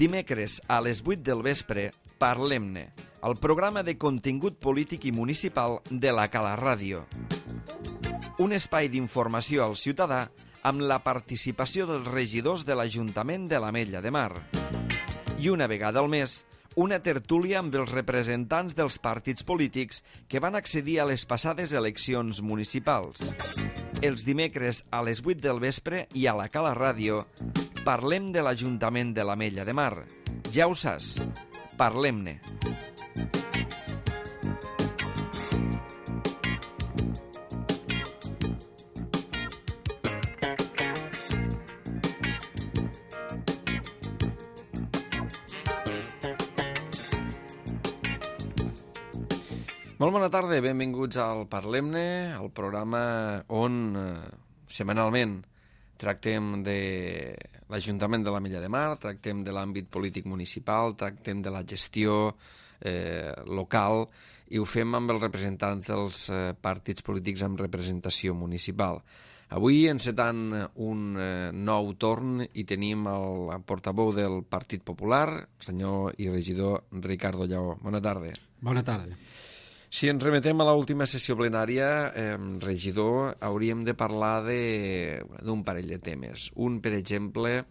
Dimecres a les 8 del vespre, Parlem-ne, el programa de contingut polític i municipal de la Cala Ràdio. Un espai d'informació al ciutadà amb la participació dels regidors de l'Ajuntament de l'Ametlla de Mar. I una vegada al mes, una tertúlia amb els representants dels partits polítics que van accedir a les passades eleccions municipals. Els dimecres a les 8 del vespre i a la Cala Ràdio parlem de l'Ajuntament de l'Ametlla de Mar. Ja ho saps, parlem-ne. Molt bona tarda, benvinguts al Parlem-ne, el programa on setmanalment tractem de l'Ajuntament de l'Ametlla de Mar, tractem de l'àmbit polític municipal, tractem de la gestió local i ho fem amb els representants dels partits polítics amb representació municipal. Avui encetant un nou torn i tenim el portaveu del Partit Popular, senyor i regidor Ricardo Lleó. Bona tarda. Bona tarda. Si ens remetem a l'última sessió plenària, regidor, hauríem de parlar d'un parell de temes. Un, per exemple,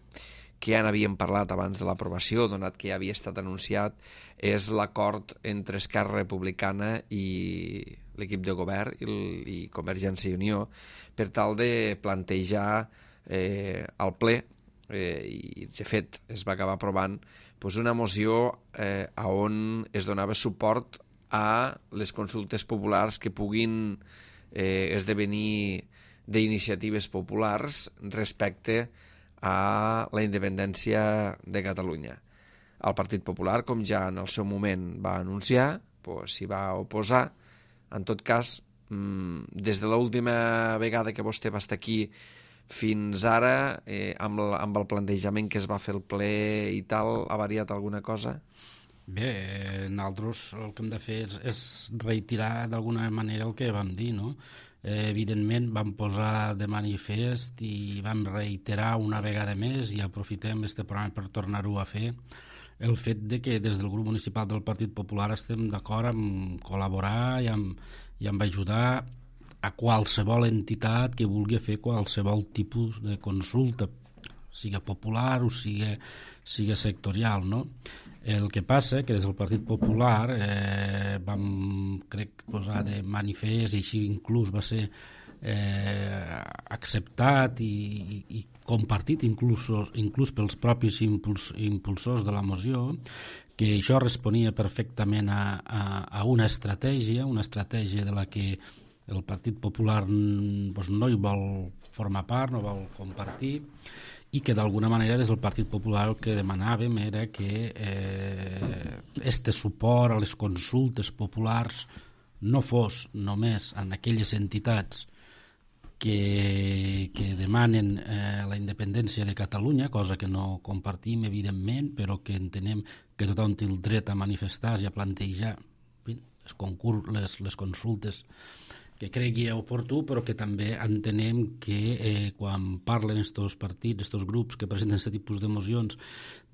que ja n'havíem parlat abans de l'aprovació, donat que ja havia estat anunciat, és l'acord entre Esquerra Republicana i l'equip de govern i Convergència i Unió per tal de plantejar al ple, i de fet es va acabar aprovant, una moció on es donava suport a les consultes populars que puguin esdevenir d'iniciatives populars respecte a la independència de Catalunya. El Partit Popular, com ja en el seu moment va anunciar, s'hi va oposar. En tot cas, des de l'última vegada que vostè va estar aquí fins ara, amb el plantejament que es va fer el ple i tal, ha variat alguna cosa? Bé, nosaltres el que hem de fer és reiterar d'alguna manera el que vam dir, no? Evidentment vam posar de manifest i vam reiterar una vegada més i aprofitem este programa per tornar-ho a fer el fet de que des del grup municipal del Partit Popular estem d'acord amb col·laborar i amb ajudar a qualsevol entitat que vulgui fer qualsevol tipus de consulta, sigui popular o sigui sectorial, no? El que passa que des del Partit Popular vam, crec, posar de manifest i així inclús va ser acceptat i compartit inclús pels propis impulsors de la moció, que això responia perfectament a una estratègia de la que el Partit Popular no hi vol formar part, no vol compartir, i que d'alguna manera des del Partit Popular el que demanàvem era que este suport a les consultes populars no fos només en aquelles entitats que demanen la independència de Catalunya, cosa que no compartim evidentment, però que entenem que tothom té el dret a manifestar-se i a plantejar les consultes que cregui oportú, però que també entenem que quan parlen estos partits, estos grups que presenten aquest tipus de mocions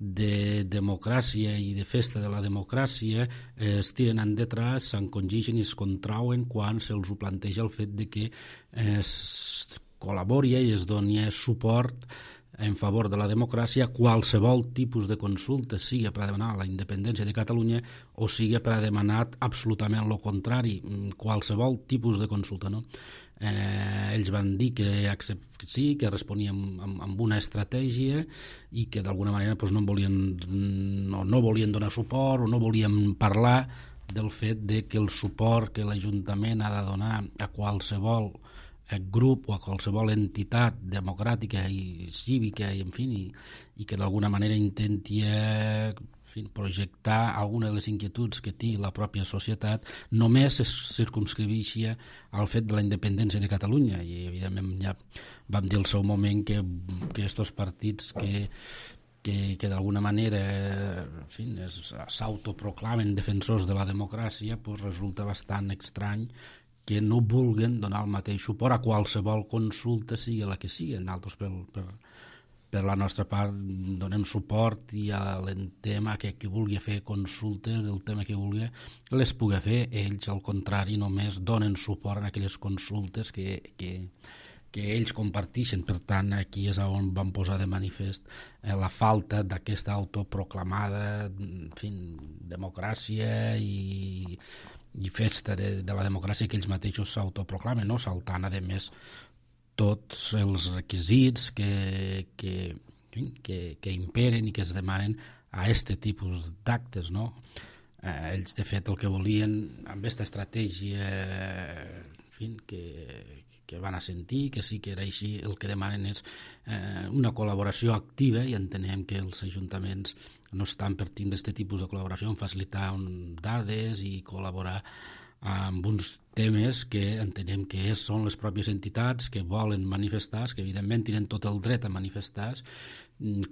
de democràcia i de festa de la democràcia, es tiren endetrás, s'encongixen i es contrauen quan se'ls ho planteja el fet de que es col·labori i es doni suport en favor de la democràcia qualsevol tipus de consulta, sigui per a demanar la independència de Catalunya o sigui per a demanar absolutament el contrari, qualsevol tipus de consulta, no? Ells van dir que sí, que responíem amb una estratègia i que d'alguna manera no volien donar suport o no volien parlar del fet de que el suport que l'Ajuntament ha de donar a qualsevol grup o a qualsevol entitat democràtica i cívica i que d'alguna manera intenti projectar alguna de les inquietuds que té la pròpia societat només es circumscriveixi al fet de la independència de Catalunya. I evidentment ja vam dir al seu moment que estos partits que d'alguna manera s'autoproclamen defensors de la democràcia, resulta bastant estrany que no vulguen donar el mateix suport a qualsevol consulta, sigui la que sigui. Nosaltres per la nostra part donem suport i al tema que qui vulgui fer consultes del tema que vulgui les pugui fer. Ells, al contrari, només donen suport en aquelles consultes que ells comparteixen. Per tant, aquí és on van posar de manifest la falta d'aquesta autoproclamada democràcia i festa de la democràcia que ells mateixos s'autoproclamen, no? Saltant, a més, tots els requisits que imperen i que es demanen a aquest tipus d'actes, no? Ells, de fet, el que volien amb aquesta estratègia que van a sentir, que sí que era així, el que demanen és una col·laboració activa, i entenem que els ajuntaments no estan per tindre aquest tipus de col·laboració, en facilitar dades i col·laborar amb uns temes que entenem que són les pròpies entitats que volen manifestar, que evidentment tenen tot el dret a manifestar,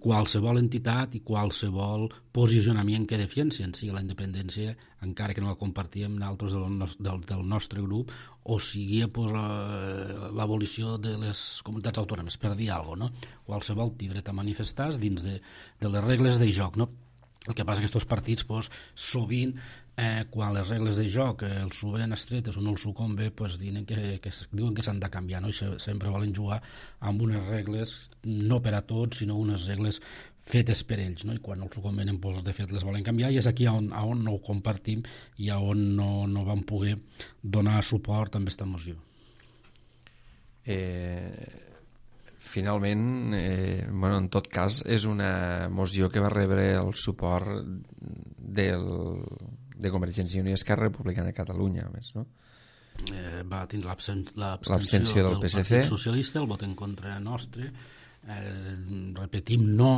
qualsevol entitat i qualsevol posicionament que defensen, sigui la independència, encara que no la compartíem nosaltres del nostre grup, o sigui l'abolició de les comunitats autònomes, per dir alguna cosa, no? Qualsevol té dret a manifestar dins de les regles de joc, no? El que passa que aquests partits, sovint, quan les regles de joc els s'obren estretes o no els sucombe, diuen que s'han de canviar, no? I sempre volen jugar amb unes regles no per a tots, sinó unes regles fetes per ells, no? I quan no els convenen, de fet les volen canviar, i és aquí on no ho compartim i on no vam poder donar suport amb aquesta moció. Finalment, en tot cas, és una moció que va rebre el suport de Convergència i Unió i Esquerra Republicana de Catalunya, més, no? Va tindre l'abstenció del PSC, Partit Socialista, el vot en contra nostre. Repetim, no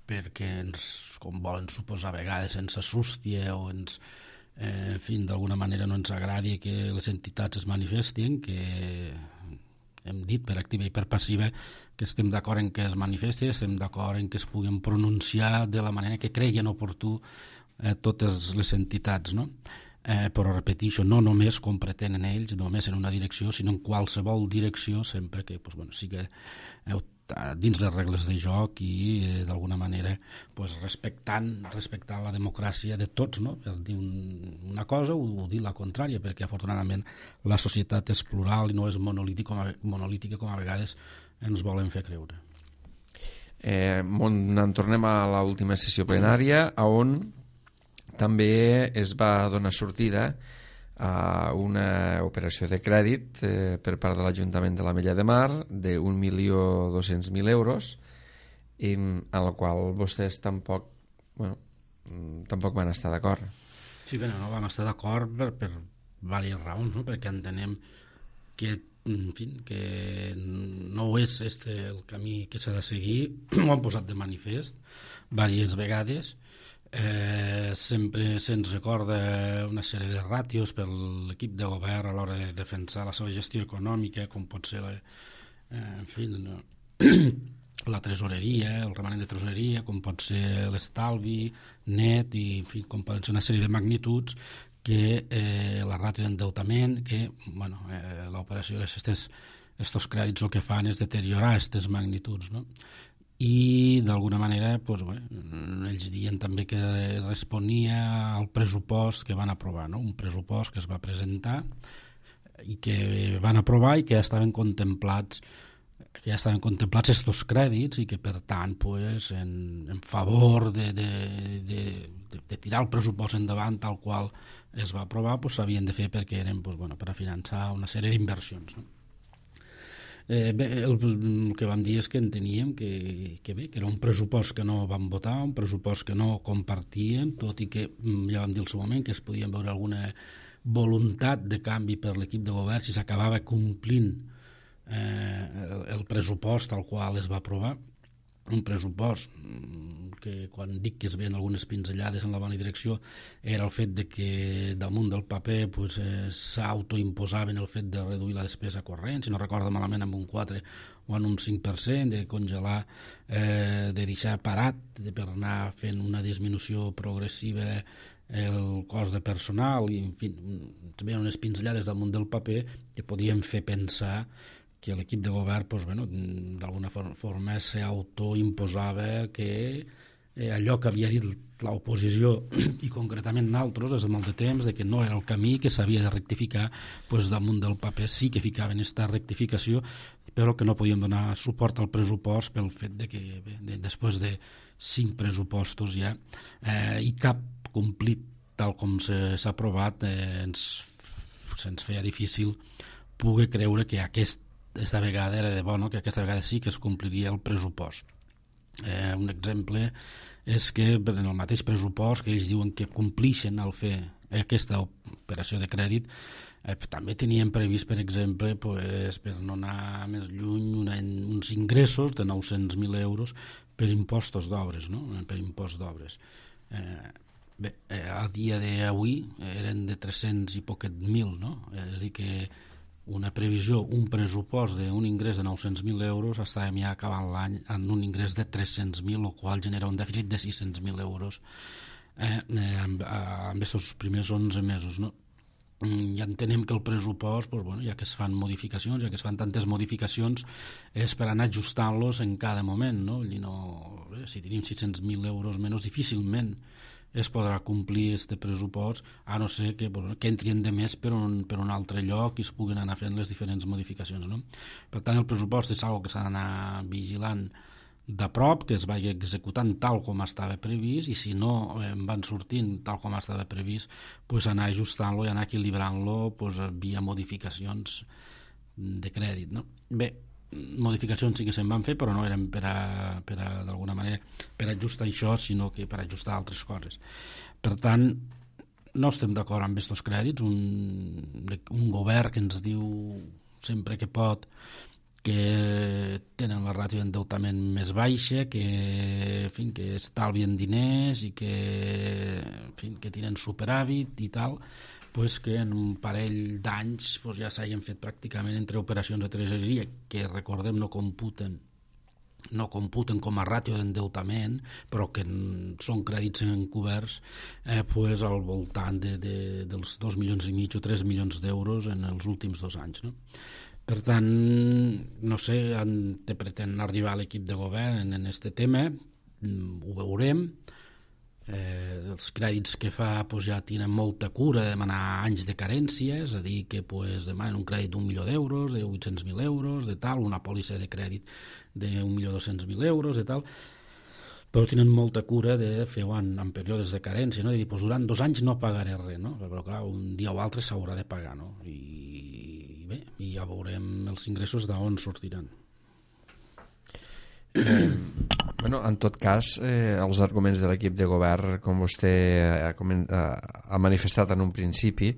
perquè com volen suposar a vegades, ens assusti o ens, d'alguna manera no ens agradi que les entitats es manifestin, que hem dit per activa i per passiva que estem d'acord en que es manifesti, estem d'acord en que es puguin pronunciar de la manera que creguin oportú totes les entitats, no? Però repeteixo, no només com pretenen ells, només en una direcció, sinó en qualsevol direcció, sempre que sigui dins les regles de joc i d'alguna manera respectant la democràcia de tots, no? Per dir una cosa o dir la contrària, perquè afortunadament la societat és plural i no és monolítica com a vegades ens volen fer creure. En tornem a l'última sessió plenària, on també es va donar sortida a una operació de crèdit per part de l'Ajuntament de l'Ametlla de Mar d'1.200.000 euros, en la qual vostès tampoc van estar d'acord. Sí, bé, no vam estar d'acord per diverses raons, no? Perquè entenem que no és el camí que s'ha de seguir, ho han posat de manifest diverses vegades. Sempre se'ns recorda una sèrie de ràtios per l'equip de govern a l'hora de defensar la seva gestió econòmica, com pot ser la tresoreria, el remanent de tresoreria, com pot ser l'estalvi net i com poden ser una sèrie de magnituds que la ràtio d'endeutament, que l'operació d'aquests crèdits el que fan és deteriorar aquestes magnituds, no? I d'alguna manera ells diuen també que responia al pressupost que van aprovar, no? Un pressupost que es va presentar i que van aprovar i que ja estaven contemplats estos crèdits i que per tant en favor de tirar el pressupost endavant tal qual es va aprovar s'havien de fer perquè eren per a finançar una sèrie d'inversions, no? El que vam dir és que enteníem que era un pressupost que no vam votar, un pressupost que no compartíem, tot i que ja vam dir al seu moment que es podien veure alguna voluntat de canvi per l'equip de govern si s'acabava complint el pressupost al qual es va aprovar, un pressupost que quan dic que es veien algunes pinzellades en la bona direcció era el fet de que damunt del paper s'autoimposaven el fet de reduir la despesa corrent, si no recordo malament amb un 4 o en un 5%, de congelar, de deixar parat per anar fent una disminució progressiva el cost de personal i en fi, es veien unes pinzellades damunt del paper que podien fer pensar que l'equip de govern d'alguna forma s'autoimposava que allò que havia dit l'oposició i concretament nosaltres des de molt de temps, de que no era el camí, que s'havia de rectificar, damunt del paper sí que ficaven aquesta rectificació, però que no podíem donar suport al pressupost pel fet de que després de 5 pressupostos ja i cap complit tal com s'ha aprovat se'ns feia difícil poder creure que aquesta vegada era de bo, que aquesta vegada sí que es compliria el pressupost. Un exemple és que en el mateix pressupost que ells diuen que complixen al fer aquesta operació de crèdit, també tenien previst, per exemple, per no anar més lluny, uns ingressos de 900.000 euros per impostos d'obres, per impost d'obres. A dia d'avui eren de 300 i poquet mil, és a dir que una previsió, un pressupost d'un ingrés de 900.000 euros, estàvem ja acabant l'any en un ingrés de 300.000, el qual genera un dèficit de 600.000 euros amb aquests primers 11 mesos. Ja entenem que el pressupost, ja que es fan modificacions, ja que es fan tantes modificacions, és per anar ajustant-los en cada moment. Si tenim 600.000 euros menys, difícilment es podrà complir aquest pressupost, a no ser que entrien de més per un altre lloc i es puguin anar fent les diferents modificacions. Per tant, el pressupost és una cosa que s'ha d'anar vigilant de prop, que es vagi executant tal com estava previst, i si no van sortint tal com estava previst, anar ajustant-lo i anar equilibrant-lo via modificacions de crèdit. Bé, modificacions sí que se'n van fer, però no eren d'alguna manera per ajustar això, sinó que per ajustar altres coses. Per tant, no estem d'acord amb aquests crèdits. Un govern que ens diu sempre que pot que tenen la ràtio d'endeutament més baixa, que estalvien diners i que tenen superàvit i tal, que en un parell d'anys ja s'hagin fet pràcticament entre operacions de tresoreria que, recordem, no computen com a ràtio d'endeutament, però que són crèdits encoberts, al voltant dels 2,5 milions o 3 milions d'euros en els últims 2 anys. Per tant, no sé on pretén arribar l'equip de govern en aquest tema, ho veurem. Els crèdits que fa ja tenen molta cura de demanar anys de carència, és a dir, que demanen un crèdit d'1 milió d'euros, de 800.000 euros, de tal, una pòlissa de crèdit d'1.200.000 euros, de tal, però tenen molta cura de fer-ho en períodes de carència, de dir, durant 2 anys no pagaré res, però clar, un dia o altre s'haurà de pagar, i bé, ja veurem els ingressos d'on sortiran. En tot cas, els arguments de l'equip de govern, com vostè ha manifestat en un principi,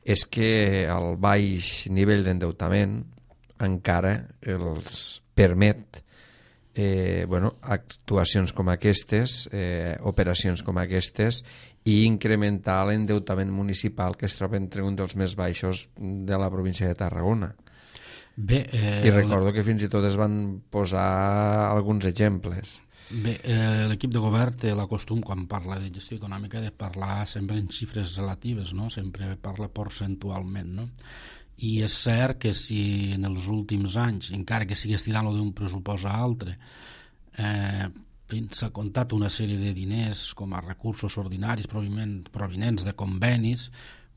és que el baix nivell d'endeutament encara els permet actuacions com aquestes, operacions com aquestes, i incrementar l'endeutament municipal, que es troba entre un dels més baixos de la província de Tarragona. I recordo que fins i tot es van posar alguns exemples. Bé, l'equip de govern té la costum, quan parla de gestió econòmica, de parlar sempre en xifres relatives, sempre parla percentualment, i és cert que si en els últims anys, encara que sigui estirant-lo d'un pressupost a altre, s'ha comptat una sèrie de diners com a recursos ordinaris provinents de convenis,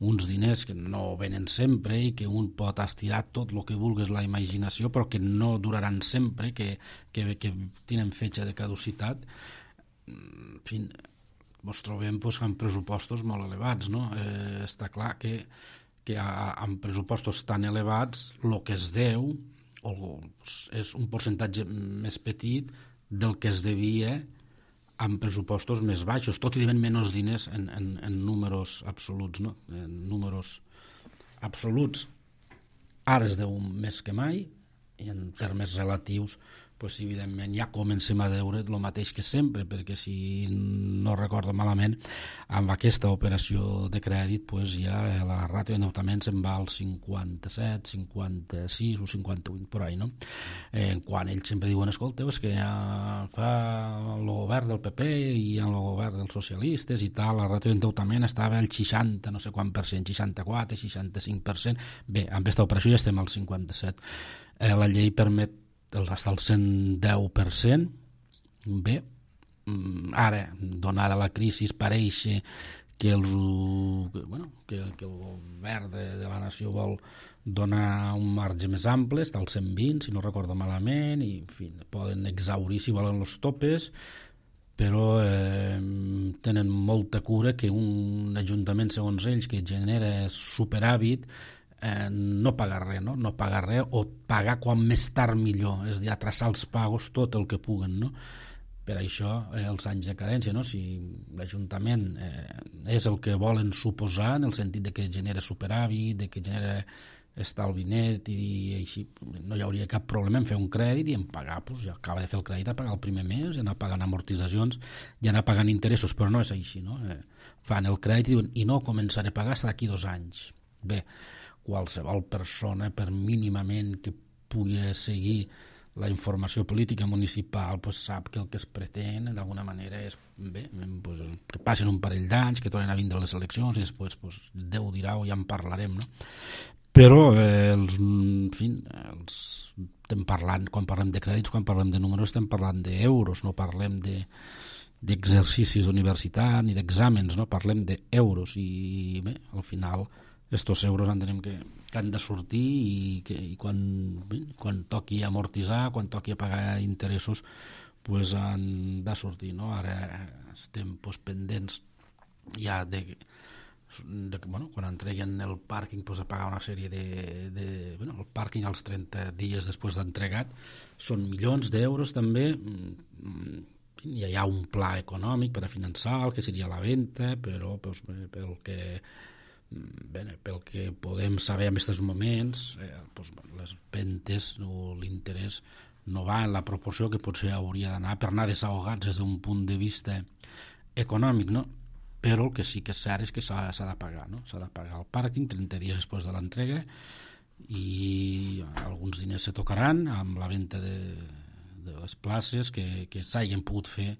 uns diners que no venen sempre i que un pot estirar tot el que vulguis la imaginació, però que no duraran sempre, que tenen fetge de caducitat. En fi, ens trobem amb pressupostos molt elevats. Està clar que amb pressupostos tan elevats el que es deu és un percentatge més petit del que es devia amb pressupostos més baixos, tot i devent menys diners en números absoluts. En números absoluts ara es deu més que mai, i en termes relatius pues, evidentment ja comencem a veure el mateix que sempre, perquè si no recordo malament, amb aquesta operació de crèdit pues, ja la ràtio d'endeutament se'n va al 57, 56 o 58 por ahí, no? Quan ells sempre diuen, escolteu, és que ja fa el govern del PP i el govern dels socialistes i tal, la ràtio d'endeutament estava al 60, no sé quant per cent, 64, 65%. Bé, amb aquesta operació ja estem al 57. La llei permet hasta el 110%. Bé, ara, donada la crisi, pareix que el govern de la nació vol donar un marge més ample, està al 120, si no recordo malament, i en fi, poden exaurir si volen els topes, però tenen molta cura que un ajuntament, segons ells, que genera superàvit, no pagar res, no? No pagar res o pagar quan més tard millor, és a dir, atrasar els pagos tot el que puguen, no? Per això els anys de carència, no? Si l'Ajuntament és el que volen suposar en el sentit de que genera superàvit, de que genera estalvi net i així, no hi hauria cap problema en fer un crèdit i en pagar, doncs ja acaba de fer el crèdit a pagar el primer mes, i anar pagant amortitzacions i anar pagant interessos, però no és així, no? Fan el crèdit i diuen, i no començaré a pagar fins d'aquí 2 anys. Bé, qualsevol persona, per mínimament que pugui seguir la informació política municipal, pues sap que el que es pretén d'alguna manera és bé, pues, que passin un parell d'anys, que tornen a vindre les eleccions i després pues, Déu dirà o ja en parlarem, no? Però estem parlant, quan parlem de crèdits, quan parlem de números, estem parlant d'euros, no parlem d'exercicis d'universitat ni d'exàmens, no? Parlem d'euros i bé, al final estos euros entenem que han de sortir i quan toqui amortitzar, quan toqui pagar interessos, pues han de sortir, no? Ara estem pendents ja quan entreguen el pàrquing, a pagar una sèrie el pàrquing als 30 dies després d'entregat són milions d'euros també. Ja hi ha un pla econòmic per a finançar el que seria la venda, però pel que podem saber en aquests moments, les ventes o l'interès no va en la proporció que potser hauria d'anar per anar desahogats des d'un punt de vista econòmic, no? Però el que sí que és cert és que s'ha de pagar, no? S'ha de pagar el pàrquing 30 dies després de l'entrega i alguns diners se tocaran amb la venda de les places que s'hagin pogut fer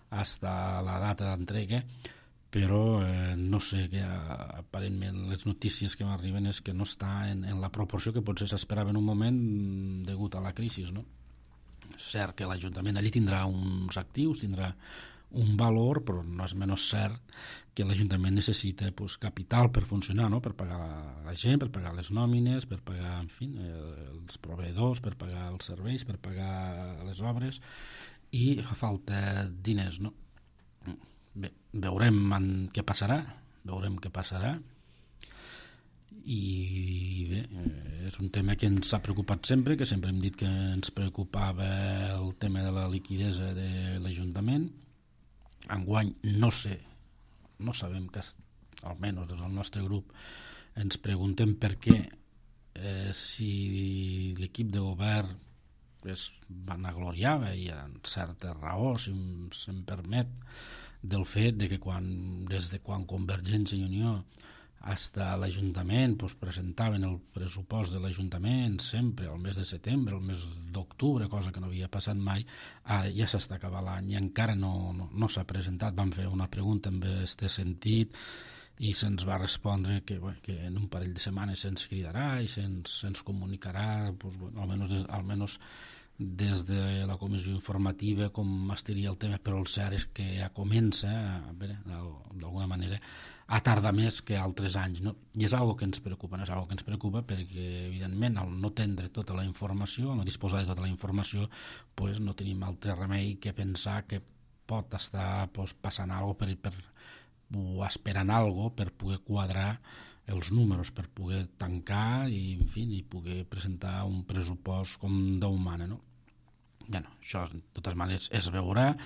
fins a la data d'entrega, però no sé, que aparentment les notícies que m'arriben és que no està en la proporció que potser s'esperava en un moment degut a la crisi, no? És cert que l'Ajuntament allí tindrà uns actius, tindrà un valor, però no és menys cert que l'Ajuntament necessita capital per funcionar, no? Per pagar la gent, per pagar les nòmines, per pagar, en fi, els proveïdors, per pagar els serveis, per pagar les obres, i fa falta diners, no? Bé, veurem què passarà, i bé, és un tema que ens ha preocupat sempre, que sempre hem dit que ens preocupava el tema de la liquidesa de l'Ajuntament. Enguany no sabem, que almenys des del nostre grup ens preguntem per què, si l'equip de govern es vanagloriava, i amb certa raó, si se'm permet, del fet de que des de quan Convergència i Unió fins a l'Ajuntament presentaven el pressupost de l'Ajuntament sempre al mes de setembre, al mes d'octubre, cosa que no havia passat mai, ara ja s'està acabant l'any i encara no s'ha presentat. Vam fer una pregunta en aquest sentit i se'ns va respondre que en un parell de setmanes se'ns cridarà i se'ns comunicarà, almenys des de la comissió informativa, com estaria el tema, però el cert és que ja comença d'alguna manera a tardar més que altres anys, no? I és una cosa que ens preocupa, perquè evidentment al no tindre tota la informació, al no disposar de tota la informació, no tenim altre remei que pensar que pot estar passant alguna cosa o esperant alguna cosa per poder quadrar els números, per poder tancar i, en fi, poder presentar un pressupost com Déu mana, no? Això, de totes maneres, es veurà.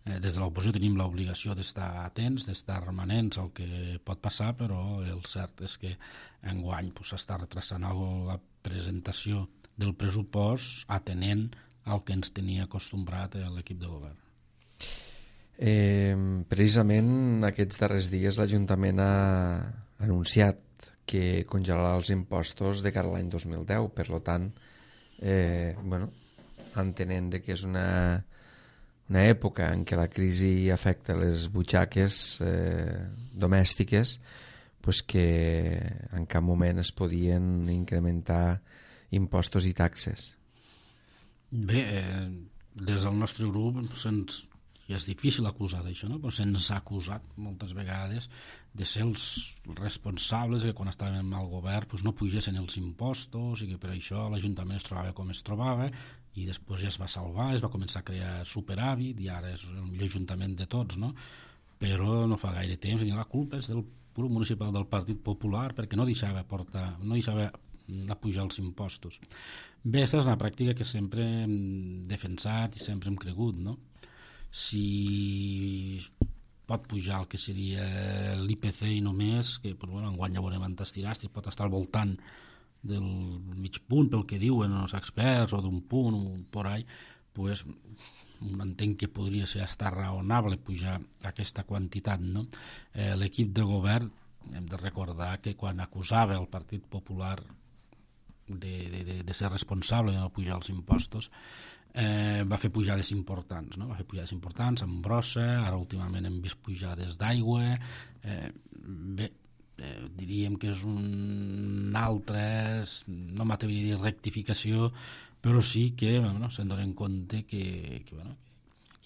Des de l'oposició tenim l'obligació d'estar atents, d'estar remanents al que pot passar, però el cert és que enguany s'està retrasant la presentació del pressupost atenent al que ens tenia acostumbrat l'equip de govern. Precisament aquests darrers dies l'Ajuntament ha anunciat que congelarà els impostos de cara a l'any 2010, per tant, entenent que és una època en què la crisi afecta les butxaques domèstiques, pues que en cap moment es podien incrementar impostos i taxes. Bé, des del nostre grup i és difícil acusar d'això, no? Però se'ns ha acusat moltes vegades de ser els responsables que quan estàvem al govern no pugessin els impostos i que per això l'Ajuntament es trobava com es trobava, i després ja es va salvar, es va començar a crear superàvit i ara és el millor ajuntament de tots, no? Però no fa gaire temps i la culpa és del grup municipal del Partit Popular perquè no deixava pujar els impostos. Bé, aquesta és una pràctica que sempre hem defensat i sempre hem cregut, no? Si pot pujar el que seria l'IPC i només, que enguany ja veurem on t'estiràs, pot estar al voltant del mig punt pel que diuen els experts o d'un punt o por ahí, pues entenc que podria ser estar raonable pujar aquesta quantitat, no? L'equip de govern hem de recordar que quan acusava el Partit Popular de ser responsable de no pujar els impostos, va fer pujades importants, no? Va fer pujades importants amb brossa, ara últimament hem vist pujades d'aigua, diríem que és un altre, no m'atreviria a dir rectificació, però sí que se'n donen compte que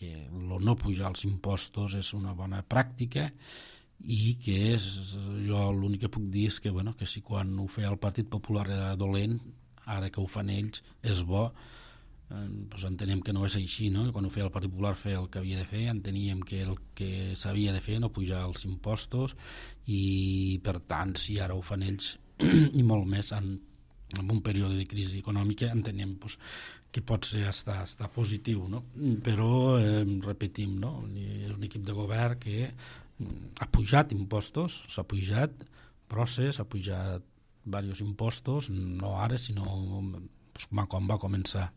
el no pujar els impostos és una bona pràctica i que jo l'únic que puc dir és que si quan ho feia el Partit Popular era dolent, ara que ho fan ells és bo. Entenem que no és així, no? Quan ho feia el Partit Popular feia el que havia de fer, enteníem que el que s'havia de fer no pujar els impostos i per tant si ara ho fan ells i molt més en un període de crisi econòmica entenem que pot ser estar positiu, no? Però repetim, no? És un equip de govern que ha pujat impostos, s'ha pujat procés, s'ha pujat diversos impostos, no ara sinó quan va començar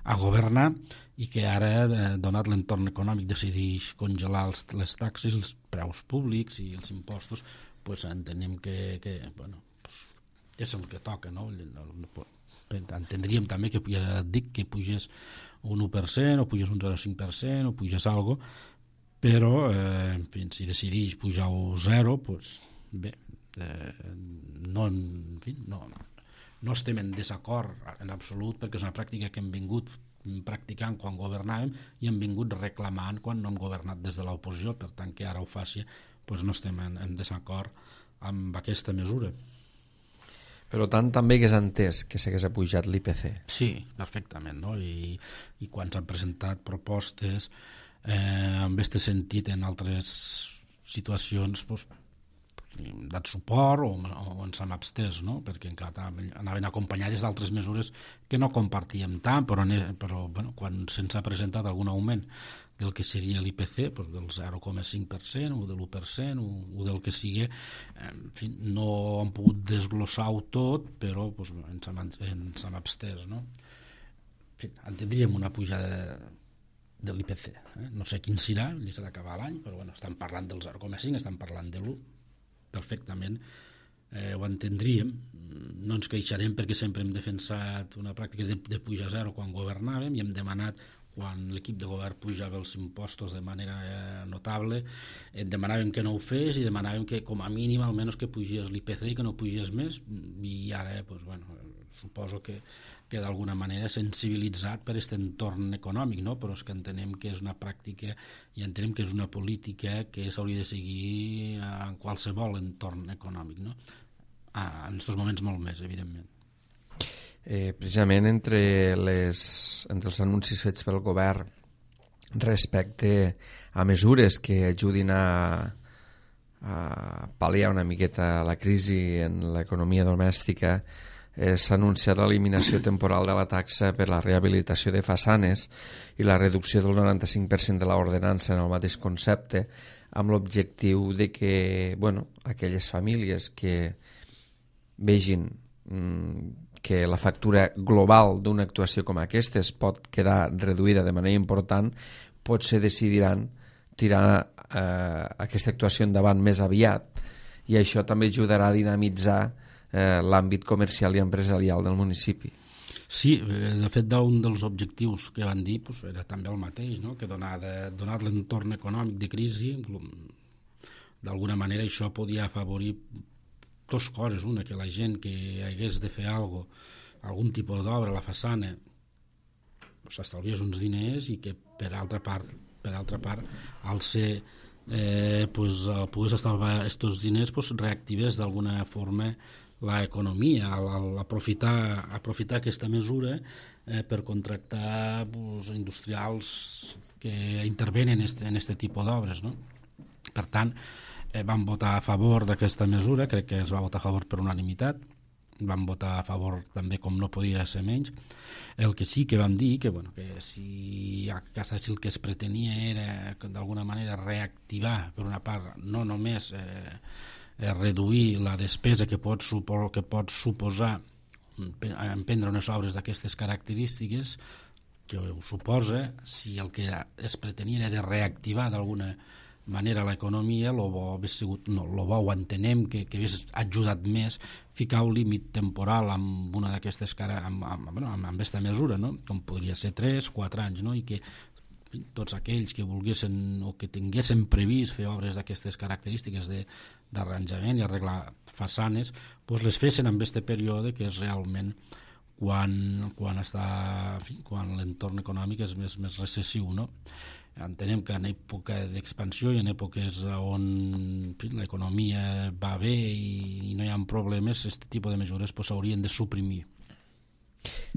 a governar i que ara, donat l'entorn econòmic, decideix congelar les taxes, els preus públics i els impostos, entenem que és el que toca, no? Entendríem també que ja dic que pugés un 1% o pugés un 0,5% o pugés alguna cosa, però si decideix pujar un 0, bé, no estem en desacord en absolut perquè és una pràctica que hem vingut practicant quan governàvem i hem vingut reclamant quan no hem governat des de l'oposició, per tant que ara ho faci no estem en desacord amb aquesta mesura. Per tant, també que és entès que s'hagués pujat l'IPC. Sí, perfectament, no? I quan s'han presentat propostes en aquest sentit en altres situacions hem dat suport o ens hem abstès, no? Perquè encara anaven acompanyades d'altres mesures que no compartíem tant, però quan se'ns ha presentat algun augment del que seria l'IPC, del 0,5% o de l'1% o del que sigui, no hem pogut desglossar-ho tot, però ens hem abstès, no? Entendríem una pujada de l'IPC, no sé quin serà, li s'ha d'acabar l'any, però estan parlant del 0,5, estan parlant de l'1, perfectament ho entendríem, no ens queixarem perquè sempre hem defensat una pràctica de pujar a 0 quan governàvem i hem demanat quan l'equip de govern pujava els impostos de manera notable, demanàvem que no ho fes i demanàvem que com a mínim almenys que pugés l'IPC i que no pugés més, i ara suposo que d'alguna manera sensibilitzat per aquest entorn econòmic, no? Però és que entenem que és una pràctica i entenem que és una política que s'hauria de seguir en qualsevol entorn econòmic, no? En aquests moments molt més, evidentment. Precisament entre els anuncis fets pel govern respecte a mesures que ajudin a pal·liar una miqueta la crisi en l'economia domèstica, s'ha anunciat l'eliminació temporal de la taxa per la rehabilitació de façanes i la reducció del 95% de l'ordenança en el mateix concepte, amb l'objectiu de que aquelles famílies que vegin que la factura global d'una actuació com aquesta es pot quedar reduïda de manera important, potser decidiran tirar aquesta actuació endavant més aviat, i això també ajudarà a dinamitzar l'àmbit comercial i empresarial del municipi. Sí, de fet, un dels objectius que van dir era també el mateix, no? Que donat l'entorn econòmic de crisi, d'alguna manera això podia afavorir dues coses. Una, que la gent que hagués de fer algun tipus d'obra a la façana s'estalviés uns diners, i que per altra part al ser pogués estalviar aquests diners, reactivés d'alguna forma l'economia, al aprofitar aquesta mesura per contractar industrials que intervenen en aquest tipus d'obres, no? Per tant, vam votar a favor d'aquesta mesura, crec que es va votar a favor per unanimitat, vam votar a favor també, com no podia ser menys. El que sí que vam dir que si el que es pretenia era d'alguna manera reactivar, per una part, no només reduir la despesa que pot suposar emprendre unes obres d'aquestes característiques, que ho suposa, si el que es pretenia era de reactivar d'alguna manera l'economia, el bo ho entenem que hagués ajudat més ficar un límit temporal amb una d'aquestes amb aquesta mesura, no? Com podria ser 3-4 anys, no? I que tots aquells que volguessin o que tinguessin previst fer obres d'aquestes característiques d'arranjament i arreglar façanes, les fessin en aquest període, que és realment quan l'entorn econòmic és més recessiu, no? Entenem que en època d'expansió i en èpoques on l'economia va bé i no hi ha problemes, aquest tipus de mesures s'haurien de suprimir.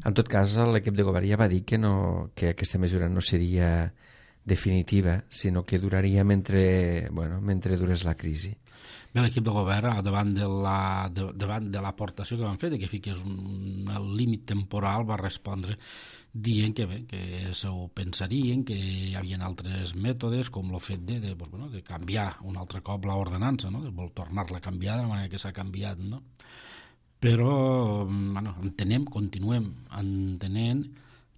En tot cas, l'equip de govern ja va dir que aquesta mesura no seria definitiva, sinó que duraria mentre durés la crisi. Bé, l'equip de govern, davant de l'aportació que van fer, que fiqués un límit temporal, va respondre dient que s'ho pensarien, que hi havia altres mètodes, com el fet de canviar un altre cop l'ordenança, no? De tornar-la a canviar de la manera que s'ha canviat, no? Però continuem entenent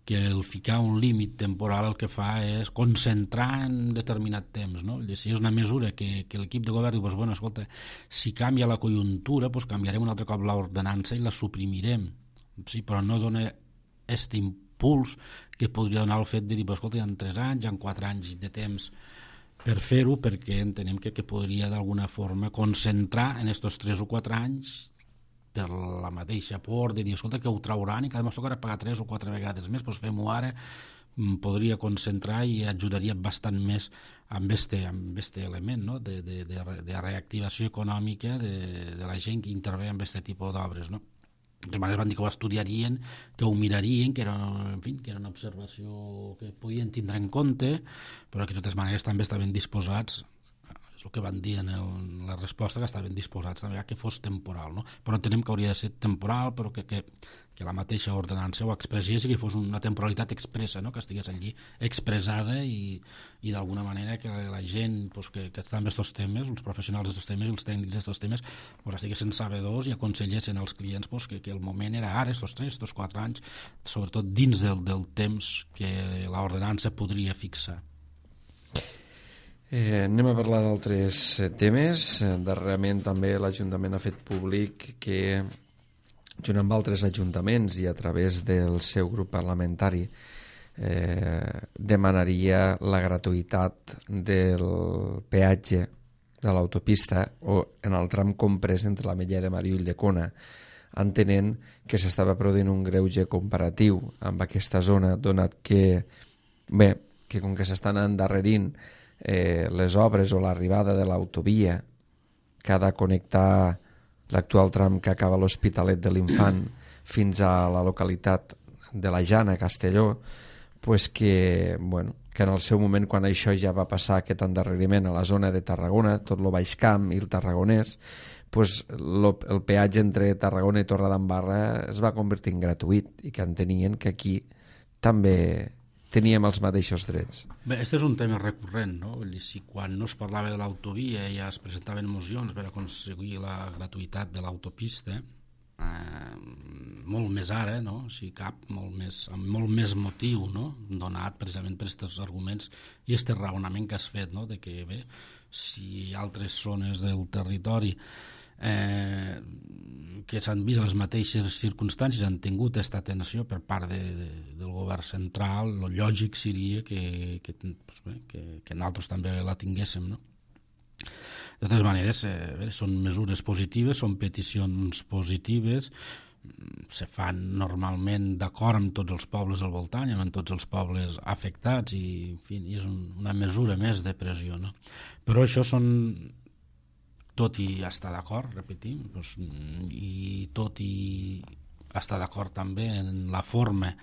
que el ficar un límit temporal el que fa és concentrar en determinat temps, no? Si és una mesura que l'equip de govern diu, escolta, si canvia la conjuntura, canviarem un altre cop l'ordenança i la suprimirem, sí, però no dona aquest impuls que podria donar el fet de dir, escolta, hi ha 3 anys, hi ha 4 anys de temps per fer-ho, perquè entenem que podria d'alguna forma concentrar en aquests 3 o 4 anys per la mateixa por de dir, escolta, que ho trauran i cada cop tocarà pagar 3 o 4 vegades més, fem-ho ara, podria concentrar i ajudaria bastant més amb aquest element, no? de reactivació econòmica de la gent que intervé en aquest tipus d'obres, no? De totes maneres van dir que ho estudiarien, que ho mirarien, que era una observació que podien tindre en compte, però que de totes maneres també estaven disposats, és el que van dir en la resposta, que estaven disposats també a que fos temporal, no? Però entenem que hauria de ser temporal, però que la mateixa ordenança ho expressés i que fos una temporalitat expressa, no? Que estigués allí expressada i d'alguna manera que la gent que està en aquests temes, els professionals d'aquests temes i els tècnics d'aquests temes, estiguessin sabedors i aconsellessin als clients que el moment era ara, aquests 3, aquests 4 anys, sobretot dins del temps que l'ordenança podria fixar. Anem a parlar d'altres temes. Darrerament també l'Ajuntament ha fet públic que, junt amb altres ajuntaments i a través del seu grup parlamentari, demanaria la gratuïtat del peatge de l'autopista o en el tram comprès entre la Mella de Mar i Ulldecona, entenent que s'estava produint un greuge comparatiu amb aquesta zona, donat que com que s'estan endarrerint les obres o l'arribada de l'autovia que ha de connectar l'actual tram que acaba a l'Hospitalet de l'Infant fins a la localitat de la Jana, Castelló, que en el seu moment, quan això ja va passar, aquest endarreriment a la zona de Tarragona, tot el Baix Camp i el Tarragonès, el peatge entre Tarragona i Torredembarra es va convertir en gratuït i que entenien que aquí també teníem els mateixos drets. Bé, aquest és un tema recurrent, no? Si quan no es parlava de l'autovia ja es presentaven mocions per aconseguir la gratuïtat de l'autopista, molt més ara, no? Si cap, amb molt més motiu, no? Donat precisament per aquests arguments i aquest raonament que has fet, no? De que bé, si altres zones del territori que s'han vist a les mateixes circumstàncies han tingut aquesta atenció per part del govern central, el lògic seria que nosaltres també la tinguéssim, no? De totes maneres, són mesures positives, són peticions positives, se fan normalment d'acord amb tots els pobles al voltant i amb tots els pobles afectats i, en fi, és una mesura més de pressió, no? Però això són, tot i estar d'acord, repetim, doncs, i tot i estar d'acord també en la forma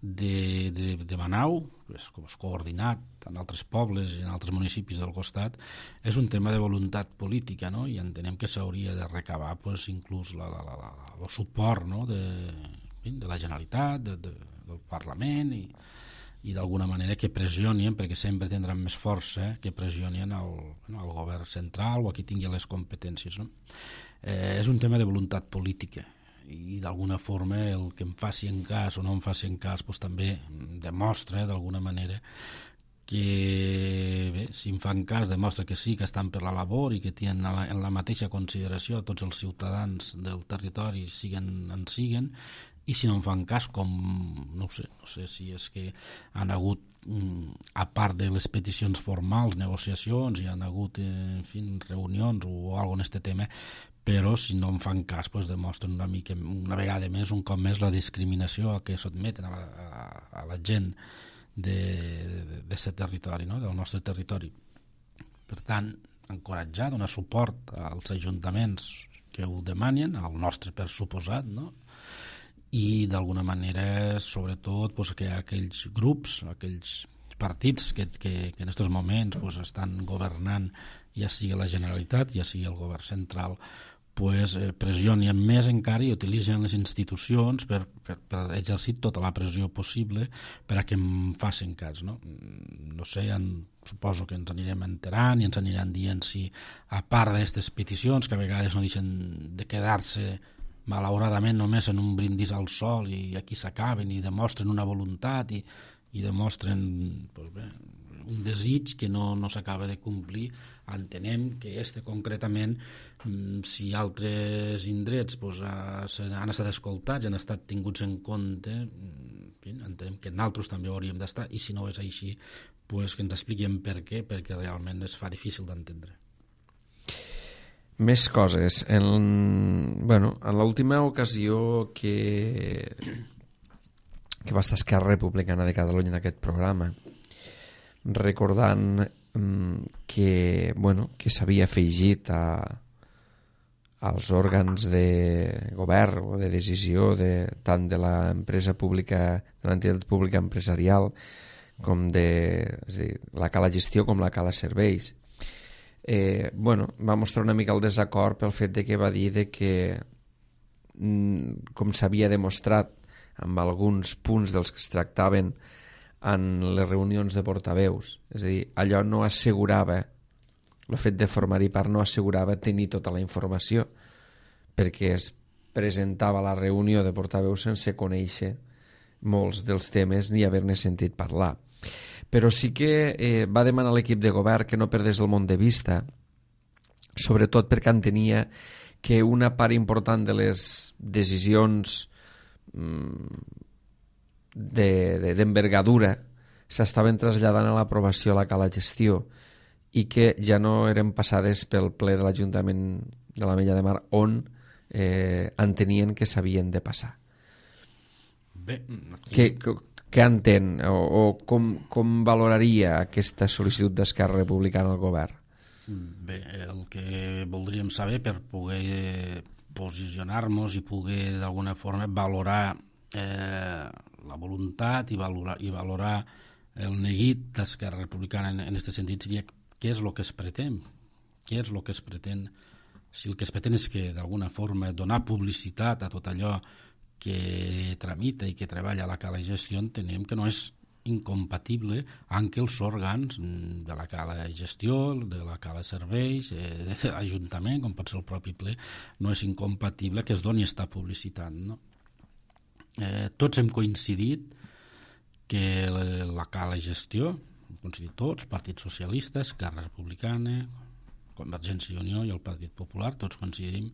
de Manau, coordinat en altres pobles i en altres municipis del costat, és un tema de voluntat política, no? I entenem que s'hauria de recabar pues, inclús el suport, no? de la Generalitat, del Parlament i d'alguna manera que pressionien, perquè sempre tindran més força, que pressionien el govern central o a qui tingui les competències, no? És un tema de voluntat política i d'alguna forma el que em faci en cas o no em faci en cas pues, també demostra d'alguna manera que bé, si em fan cas demostra que sí que estan per la labor i que tenen en la mateixa consideració a tots els ciutadans del territori siguen i si no em fan cas com no sé si és que han hagut a part de les peticions formals, negociacions, hi han hagut en fi, reunions o alguna en aquest tema, però si no en fan cas pues, demostren una vegada més, un cop més la discriminació a què sotmeten a la gent d'aquest territori, no? Del nostre territori. Per tant, encoratjar, donar suport als ajuntaments que ho demanen, al nostre per suposat, no? I d'alguna manera, sobretot, pues, que aquells grups, aquells partits que en aquests moments pues, estan governant, ja sigui la Generalitat, ja sigui el govern central, pues, pressionen més encara i utilitzen les institucions per exercir tota la pressió possible per a que em facin cas, no? No sé, suposo que ens anirem enterant i ens aniran dient si, a part d'aquestes peticions, que a vegades no deixen de quedar-se malauradament només en un brindis al sol i aquí s'acaben i demostren una voluntat i demostren pues bé, un desig que no s'acaba de complir, entenem que concretament si altres indrets pues, han estat escoltats, han estat tinguts en compte, entenem que nosaltres també hauríem d'estar i si no és així pues, que ens expliquem per què, perquè realment es fa difícil d'entendre. Més coses. En l'última ocasió que va estar Esquerra Republicana de Catalunya en aquest programa, recordant que s'havia afegit als òrgans de govern o de decisió tant de l'empresa pública, de l'entitat pública empresarial com és a dir, la Cala Gestió com la Cala Serveis, va mostrar una mica el desacord pel fet de que va dir que com s'havia demostrat amb alguns punts dels que es tractaven en les reunions de portaveus, és a dir, allò no assegurava, el fet de formar-hi part no assegurava tenir tota la informació, perquè es presentava la reunió de portaveus sense conèixer molts dels temes ni haver-ne sentit parlar. Però sí que va demanar a l'equip de govern que no perdés el món de vista, sobretot perquè entenia que una part important de les decisions d'envergadura s'estaven traslladant a l'aprovació a la Cala Gestió i que ja no eren passades pel ple de l'Ajuntament de l'Ametlla de Mar on entenien que s'havien de passar. Bé, què entén o com valoraria aquesta sol·licitud d'Esquerra Republicana al govern? Bé, el que voldríem saber per poder posicionar-nos i poder d'alguna forma valorar la voluntat i valorar el neguit d'Esquerra Republicana en aquest sentit seria què és el que es pretén, si el que es pretén és que d'alguna forma donar publicitat a tot allò que tramita i que treballa a la Cala Gestió, entenem que no és incompatible amb els òrgans de la cala gestió, de la cala serveis, de l'Ajuntament, com pot ser el propi ple, no és incompatible que es doni esta publicitat, no? Tots hem coincidit que la cala gestió, hem coincidit tots, Partit Socialista, Esquerra Republicana, Convergència i Unió i el Partit Popular, tots coincidim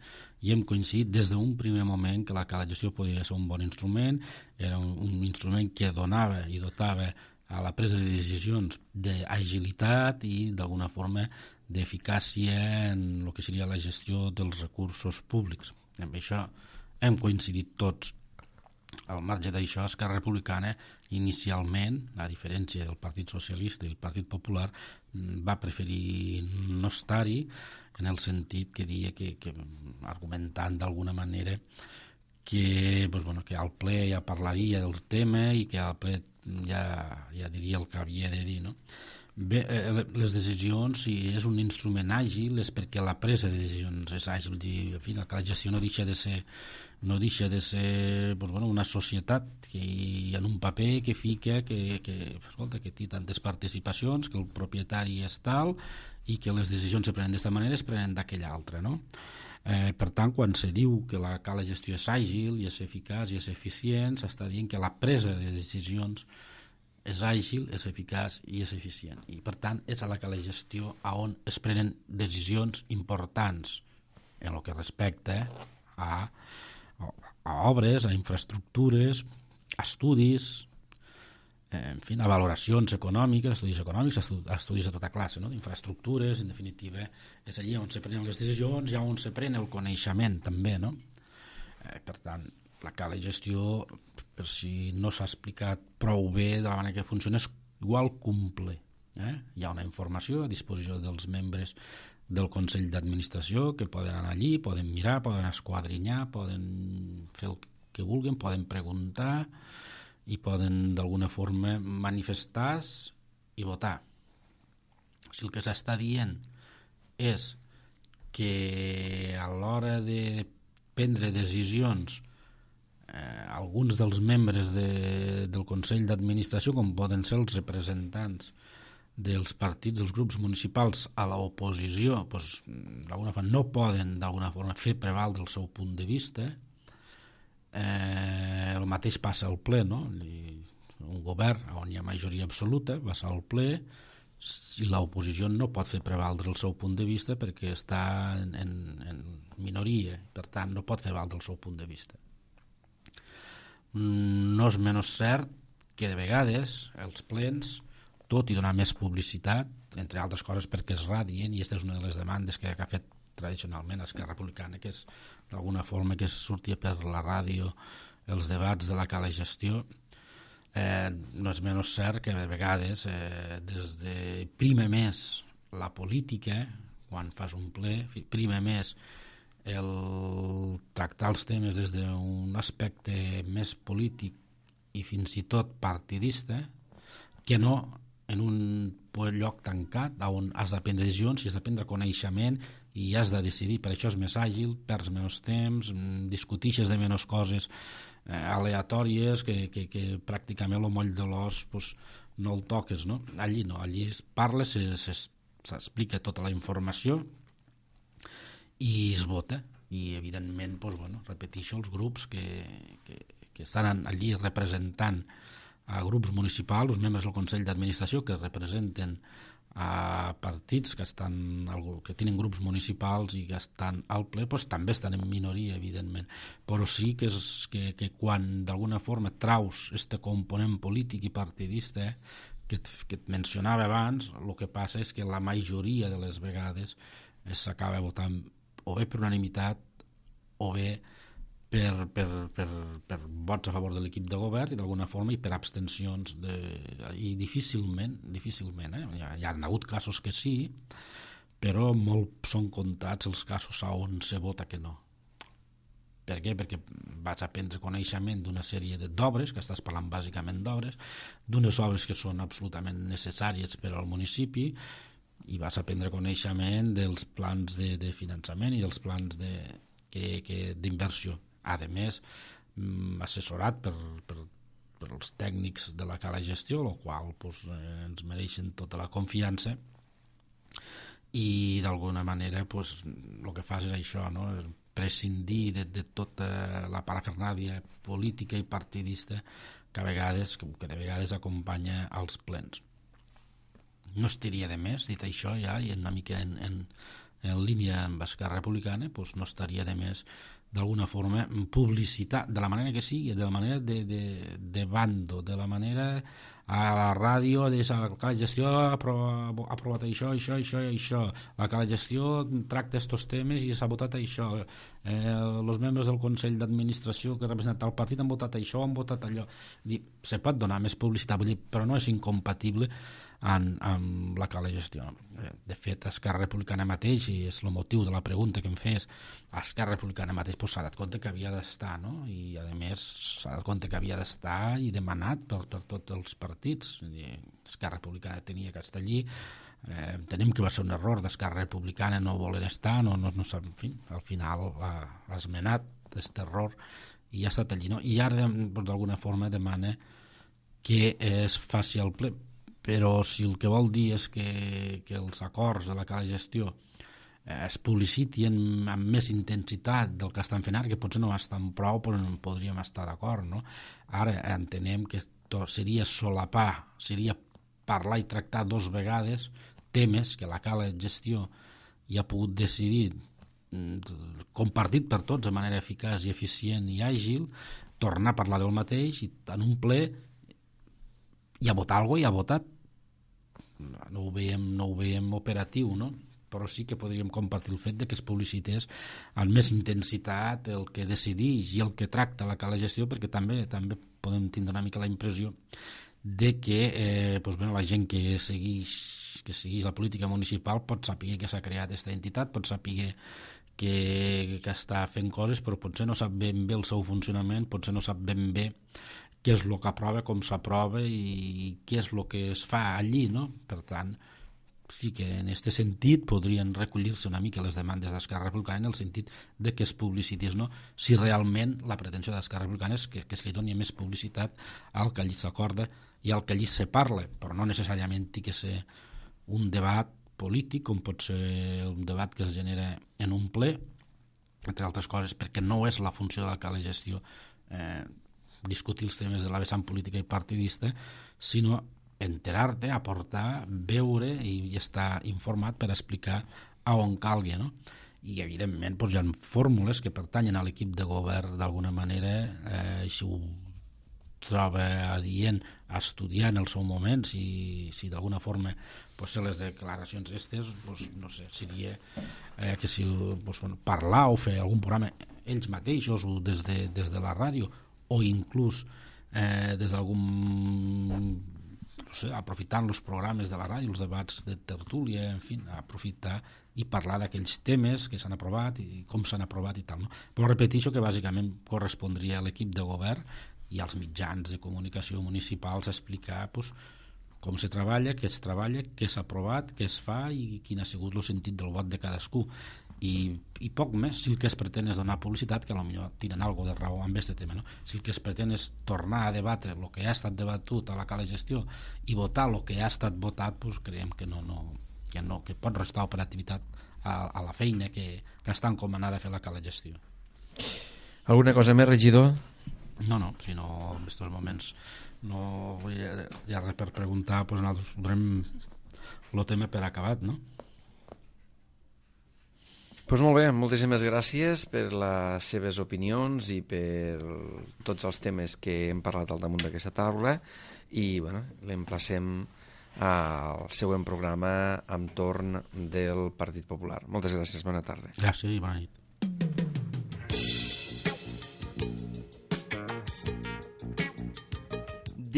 i hem coincidit des d'un primer moment que la cala gestió podia ser un bon instrument, era un instrument que donava i dotava a la presa de decisions d'agilitat i d'alguna forma d'eficàcia en el que seria la gestió dels recursos públics. Amb això hem coincidit tots. Al marge d'això, Esquerra Republicana inicialment, a diferència del Partit Socialista i el Partit Popular, va preferir no estar-hi, en el sentit que deia que argumentant d'alguna manera que al ple ja parlaria del tema i que al ple ja diria el que havia de dir, no? Bé, les decisions, si és un instrument àgil, és perquè la presa de decisions és àgil. En fi, la gestió no deixa de ser una societat que en un paper que fica que té tantes participacions, que el propietari és tal i que les decisions se prenen d'aquesta manera es prenen d'aquella altra, no? Per tant, quan se diu que la gestió és àgil i és eficaç i és eficient, s'està dient que la presa de decisions és àgil, és eficaç i és eficient. I, per tant, és a la gestió on es prenen decisions importants en el que respecta a obres, a infraestructures, a estudis, en fi, a valoracions econòmiques, estudis de tota classe, no? D'infraestructures, en definitiva, és allí on se prenen les decisions i on se pren el coneixement, també, no? Per tant, la gestió, per si no s'ha explicat prou bé de la manera que funciona, és igual cumple. Hi ha una informació a disposició dels membres del Consell d'Administració que poden anar allí, poden mirar, poden esquadrinyar, poden fer el que vulguin, poden preguntar i poden d'alguna forma manifestar-se i votar. Si el que s'està dient és que a l'hora de prendre decisions alguns dels membres del Consell d'Administració, com poden ser els representants dels partits, dels grups municipals a l'oposició, d'alguna forma no poden d'alguna forma fer prevaldre el seu punt de vista. El mateix passa al ple, no? Un govern on hi ha majoria absoluta va ser al ple i l'oposició no pot fer prevaldre el seu punt de vista perquè està en minoria, per tant no pot fer valdre el seu punt de vista. No és menys cert que de vegades els plens, tot i donar més publicitat, entre altres coses perquè es radien, i aquesta és una de les demandes que ha fet tradicionalment Esquerra Republicana, que és d'alguna forma que sortia per la ràdio els debats de la gestió, no és menys cert que de vegades des de primer més la política, quan fas un ple, primer més el tractar els temes des d'un aspecte més polític i fins i tot partidista, que no en un lloc tancat on has de prendre decisions i has de prendre coneixement i has de decidir. Per això és més àgil, perds menys temps, discutixes de menys coses aleatòries que pràcticament el moll de l'os no el toques, no? Allí no, allí es parla, s'explica tota la informació i es vota, i evidentment repeteixo, els grups que estan allí representant a grups municipals, els membres del Consell d'Administració que representen a partits que tenen grups municipals i que estan al ple, també estan en minoria, evidentment, però sí que quan d'alguna forma traus este component polític i partidista que et mencionava abans, el que passa és que la majoria de les vegades s'acaba votant o bé per unanimitat o bé per vots a favor de l'equip de govern i d'alguna forma i per abstencions i difícilment hi ha hagut casos que sí, però molt són comptats els casos on se vota que no. Per què? Perquè vas a prendre coneixement d'una sèrie d'obres, que estàs parlant bàsicament d'obres, d'unes obres que són absolutament necessàries per al municipi, i vas a prendre coneixement dels plans de finançament i dels plans d'inversió, a més assessorat per pels tècnics de la Cala Gestió, el qual ens mereixen tota la confiança, i d'alguna manera el que fas és això, no? Prescindir de tota la parafernàlia política i partidista que de vegades acompanya als plens. No estaria de més, dit això ja, i una mica en línia amb Esquerra Republicana, no estaria de més d'alguna forma publicitar, de la manera que sigui, de la manera de bando, de la manera a la ràdio, la Cala Gestió ha aprovat això, la Cala Gestió tracta aquests temes i s'ha votat això, els membres del Consell d'Administració que representen el partit han votat això, han votat allò. Se pot donar més publicitat, però no és incompatible amb la Cala Gestió. De fet, Esquerra Republicana mateix, i és el motiu de la pregunta que em fes, Esquerra Republicana mateix s'ha dat compte que havia d'estar, no? I a més s'ha dat compte que havia d'estar i demanat per tots els partits. Esquerra Republicana tenia que estar allí, entenem que va ser un error d'Esquerra Republicana no voler estar, en fi, al final ha esmenat aquest error i ha estat allí, no? I ara d'alguna forma demana que es faci el ple, però si el que vol dir és que els acords de la Cala Gestió es publicitin amb més intensitat del que estan fent ara, que potser no estan prou, però no podríem estar d'acord, no? Ara entenem que seria solapar, seria parlar i tractar 2 vegades temes que la Cala Gestió ja ha pogut decidir, compartit per tots de manera eficaç i eficient i àgil, tornar a parlar del mateix i en un ple i a votar alguna cosa i ha votat. No ho veiem operatiu, no? Però sí que podríem compartir el fet de que es publicités amb més intensitat el que decideix i el que tracta la Cala Gestió, perquè també podem tindre una mica la impressió de que la gent que segueix la política municipal pot saber que s'ha creat aquesta entitat, pot saber que està fent coses, però potser no sap ben bé el seu funcionament, potser no sap ben bé què és el que aprova, com s'aprova i què és el que es fa allí, no? Per tant, sí que en aquest sentit podrien recollir-se una mica les demandes d'Esquerra Republicana en el sentit de que es publicités, no? Si realment la pretensió d'Esquerra Republicana és que es li doni més publicitat al que allí s'acorda i al que allí se parla, però no necessàriament ha de ser un debat polític, com pot ser un debat que es genera en un ple, entre altres coses, perquè no és la funció de la Cala Gestió discutir els temes de la vessant política i partidista, sinó enterar-te, aportar, veure i estar informat per explicar a on calgui, no? I evidentment hi ha fórmules que pertanyen a l'equip de govern d'alguna manera, si ho troba adient a estudiar en el seu moment, si d'alguna forma ser les declaracions aquestes, no sé, seria que si parlar o fer algun programa ells mateixos o des de la ràdio o inclús des d'algun, no sé, aprofitant els programes de la ràdio, els debats de tertúlia, en fi, aprofitar i parlar d'aquells temes que s'han aprovat i com s'han aprovat i tal, no? Però repeteixo que bàsicament correspondria a l'equip de govern i als mitjans de comunicació municipals explicar com se treballa, què es treballa, què s'ha aprovat, què es fa i quin ha sigut el sentit del vot de cadascú. I poc més, si el que es pretén és donar publicitat, que potser tenen alguna de raó amb aquest tema, no? Si el que es pretén és tornar a debatre el que ha estat debatut a la Cala Gestió i votar el que ha estat votat, creiem que que pot restar operativitat a la feina que està encomanada a fer la Cala Gestió. Alguna cosa més, regidor? No, si no, en aquests moments no hi ha res per preguntar, nosaltres donem el tema per acabat, no? Doncs molt bé, moltíssimes gràcies per les seves opinions i per tots els temes que hem parlat al damunt d'aquesta taula i l'emplacem al següent programa amb torn del Partit Popular. Moltes gràcies, bona tarda. Gràcies i bona nit.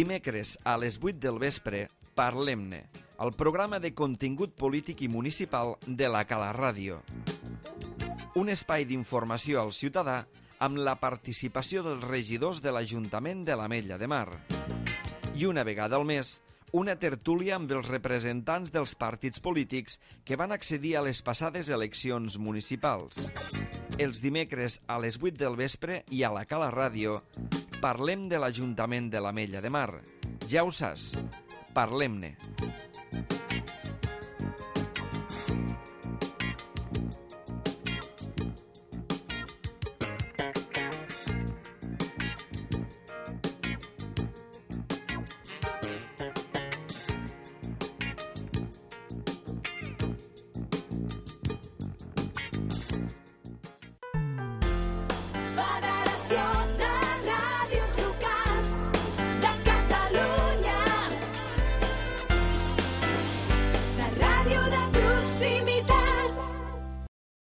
Dimecres a les 8 del vespre, Parlem-ne, el programa de contingut polític i municipal de la Cala Ràdio. Un espai d'informació al ciutadà amb la participació dels regidors de l'Ajuntament de l'Ametlla de Mar. I una vegada al mes, una tertúlia amb els representants dels partits polítics que van accedir a les passades eleccions municipals. Els dimecres a les 8 del vespre i a la Cala Ràdio parlem de l'Ajuntament de l'Ametlla de Mar. Ja ho saps, parlem-ne.